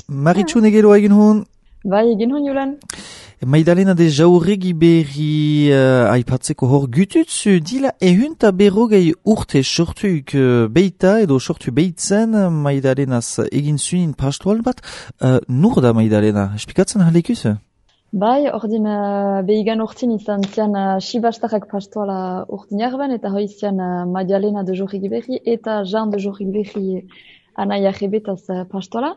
Maritxu negero egin hon. Bai, egin hon Julen. Maidalena de jauregi berri aipatzeko hor gututzu dila ehunta berrogei urte sortuik beita edo sortu beitzen Maidalenaz egin zunin pastoral bat. Nur da Maidalena? Espikatzen halekuz? Bai, ordin behigan urtin izan zian Sibastarrak pastoala urtin jarben eta hoi zian Maidalena de jauregi berri eta Jean de jauregi berri anaia jebetaz pastoala.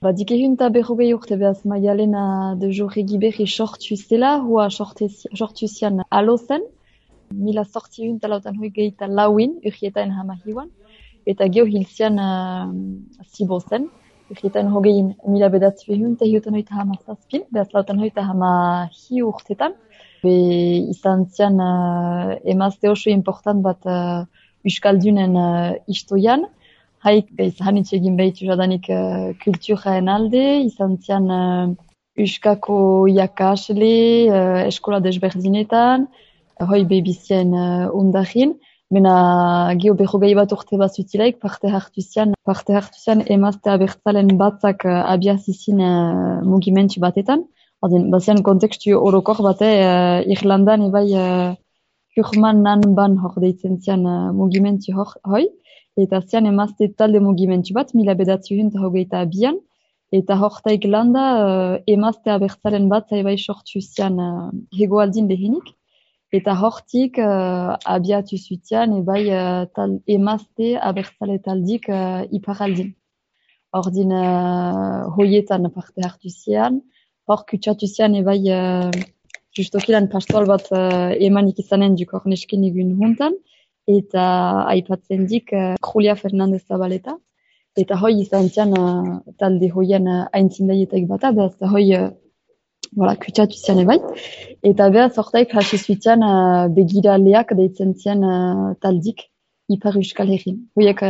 Dik ehunta berrogei urte behaz Maidalena de jauregi berri sortu zela, hua sortu zian alozen, mila sorti ehunta lautan hoi gehieta lauin, urrietaen hamahiuan, eta geho hil zian zibozen, urrietaen hogein mila bedatzi ehunta hiutan hoita hamazazpin, behaz lautan hoita hamahi urtetan, be izan zian emazte oso important bat Euskaldunen istoian, haik hanitz egin behitu jadanik kulturaen alde, izan zian Euskako iakasle, eskola desberdinetan, hoi behibizien undarin, mena geho berrogei bat urte bat zutilaik parte hartu zian emazte abertzalen batzak abiazizin mugimentu batetan. Bazian kontekstu orokor bate Irlandan ebai Kurmanan ban hor deitzen zian mugimentu hoi. Eta zian emazte talde mugimentu bat, mila bedatzi eta hogeita abian, eta hortaik landa emazte abertzalen bat zaibai sortu zian hegoaldin lehenik, eta hortik abiatu zutian ebai emazte abertzale taldik iparaldin. Ordin hoietan parte hartu zian, hor kutsatu zian ebai justokilan pastoal bat emanik izanen duk hor nesken egun huntan, eta aipatzen dik Julia Fernandez Zabaleta, eta hoi izan zian talde hoien aintzindaietaik bata, behaz hoi kutsatu zian ebai, eta behaz hortaik hasi zuitzen begiraleak deitzen zian taldik Ipar Euskal Herrin. Hoiek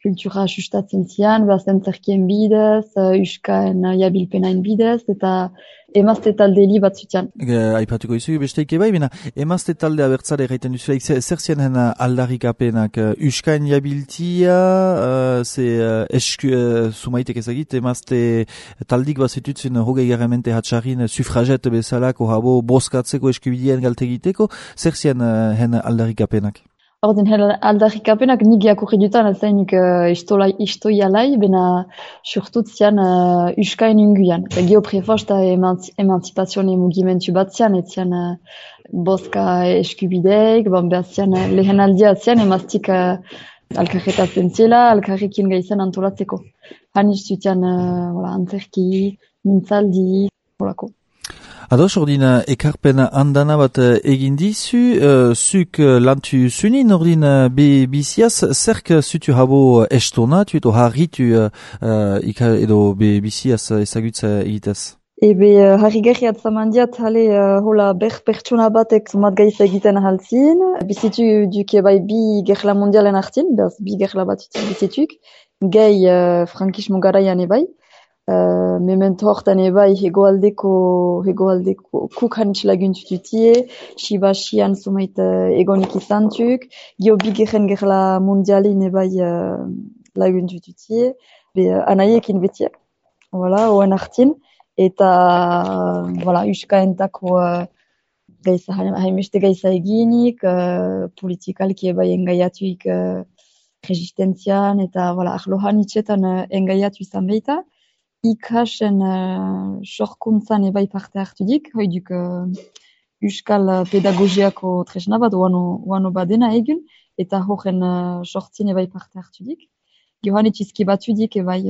kultura sustatzen zian, behaz entzerkien bidez, Euskaen jabilpenain bidez, eta emazte talde li bat zutian. Aipatuko izu besteik ebai, bina emazte talde abertzale egiten duzulaik, zer zian aldarrikapenak Euskaen jabiltia, sumaitek ezagit, emazte taldik bat zitutzen hogei garramente hatxarrin sufraget bezalako habo boskatzeko eskubidien galtegiteko, zer zian aldarrikapenak? Ordin aldarrikapenak nik jakurri dutan azainik istoialai, bena surtut zian Euskaen unguian. Geo prefosta emanzipazione mugimentu bat zian, et zian boska eskubideik, behar zian lehen aldia zian emaztik alkarretatzen ziela, alkarrekin gaizan antolatzeko. Haniz zutian antzerki, mintzaldi, holako. Ados, ordin ekarpen andana bat egin dizu, zuk lantu zunin, ordin biziaz, zerk zutu habo estona, edo harritu edo biziaz ezagutza egitez? Ebe harri gerri atzamandiat, hola pertsona batek zumat gaiz egiten ahaltzin, bizitu duke bai bi gerla mondialen hartin, behaz bi gerla bat bizituk, gehi frankismo garaian ebai, memento hortan ebai hegoaldeko kuk hanitz laguntututie, Sibasian sumait egonik izantuk, gio bigeren gerla mondialin ebai laguntututie, anaiekin betiak, oen hartin, eta Euskaentako haimeste gaiza eginik, politikalki ebai engaiatuik resistentzian, eta arlo hanitzetan engaiatu izan behita, ikasen sorkuntzan ebai parte hartu dik, hoi duk Euskal pedagogiako tresna bat, oano badena egun, eta horren sortzin ebai parte hartu dik. Johanit izki batu dik ebai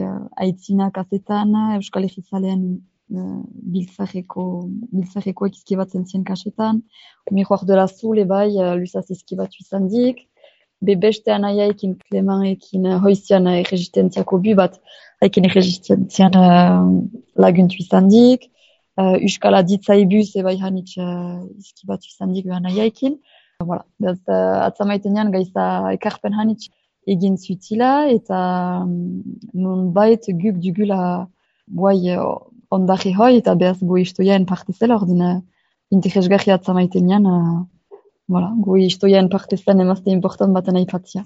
aitzina kasetan, Euskal Herrizalean biltzareko izki batzen zien kasetan, Miroir de la Zul ebai lusaz izki batu izan dik, beste anaiaekin, Clementekin hoizian resistentziako bu bat, haiken resistentzian laguntu izan dik, Euskal aditzaibuz ebai hanitz izki batu izan dik anaiaekin. Atzamaitenean gaiza ekarpen hanitz egin zutila, eta non bait guk dugula ondari hoi, eta behaz goi istoiaen parte zela, ordin interesgarri atzamaitenean, goi istoiaen parte zen emazte important baten aipatzia.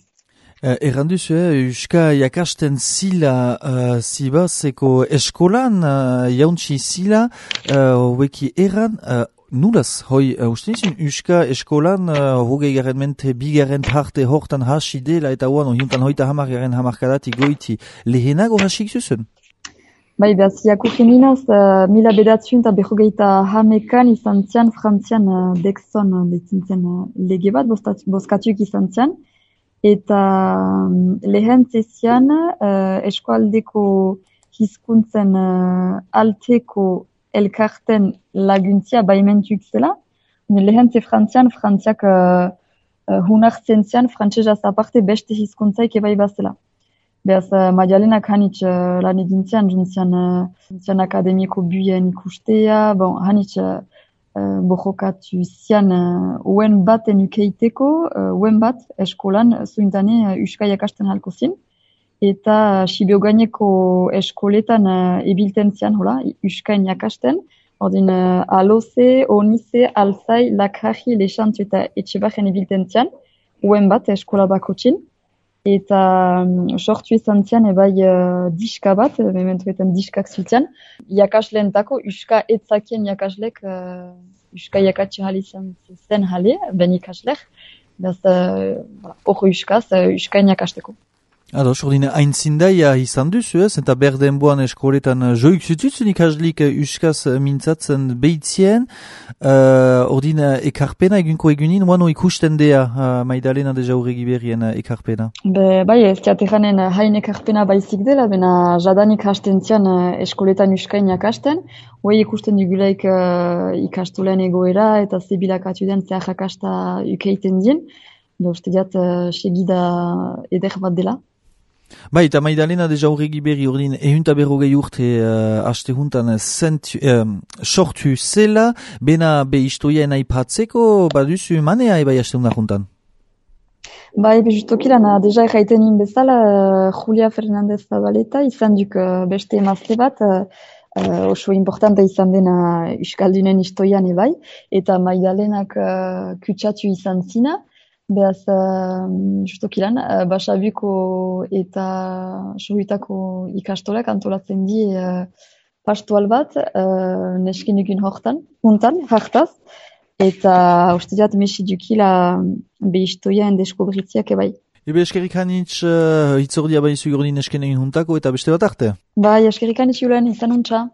Erranduzu, Euska jakasten zila zibazeko eskolan, jauntsi zila, hobeki erran, nulaz, hoi, uste nizin, Euska eskolan, hogei garen mente, bigaren parte hortan hasi dela, eta huan, hiuntan hoita hamargaren hamarkadati goiti, lehenago hasik zuzen? Bai, behaz, jakurri ninaz, mila bedatzun eta behogeita hamekan izan zian, frantzian Dexon dezintzen lege bat, bozkatuik izan zian, eta lehen zezian eskualdeko hizkuntzen alteko elkarten laguntzia baimentuik zela. Lehen ze frantziak hunartzen zian, frantsesaz aparte beste hizkuntzaik ebai bazela. Beaz, Maialenak hanitz lan egin zian akademiko buien ikustea, hanitz borrokatu zian uen baten ukeiteko, uen bat eskolan zuintane Euska jakasten halko zin. Eta Sibiogaineko eskoletan ebilten zian, Euskain jakasten. Ordin Aloze, Onize, Alzai, Lakrahi, Lexantzu eta Etxebajen ebilten zian, uen bat eskola bakotxin. Eta sortu izan zian ebai diska bat, mementuetan diskak ziltzian, jakasleentako, Euska etzakien jakaslek, Euska jakatxe hali zen hale, ben ikaslek, hor Euskaz, Euskain jakasteko. Ados, ordine, hain zindaia izan duzu ez, eta berdenboan eskoletan joik zututzen ikaslik Euskaz mintzatzen behitzien, ordine, ekarpena egunko egunin, oano ikusten dea Maidalena de Jauregi berrien ekarpena? Bai, ez teateranen hain ekarpena baizik dela, bena jadanik hasten zian eskoletan Euskain jakasten, hoi ikusten dugulaik ikastolen egoera eta zebilakatu den zehar jakasta ukeiten dien, uste diat segida eder bat dela. Bai, eta Maidalena de Jauregi berri ordin ehunta berrogei urte haste juntan sortu zela, bena be historiaen aipatzeko, baduzu manea ebai haste juntan? Bai, justokilan, deja erraitenin bezala, Julia Fernandez Zabaleta izan duk beste emazte bat, oso importante izan dena Euskaldunen historian ebai, eta Maidalenak kutsatu izan zina. Beaz, justokilan, Basabuko eta Sohuitako ikastolak antolatzen di pastoal bat, neskin dugun juntan, hartaz, eta uste diat mesi dukila behistoien deskobritziak ebai. Ebe eskerrik hanitz hitzordia baizu gordin nesken egin juntako eta beste bat arte? Bai, eskerrik hanitz julen, izan untxa.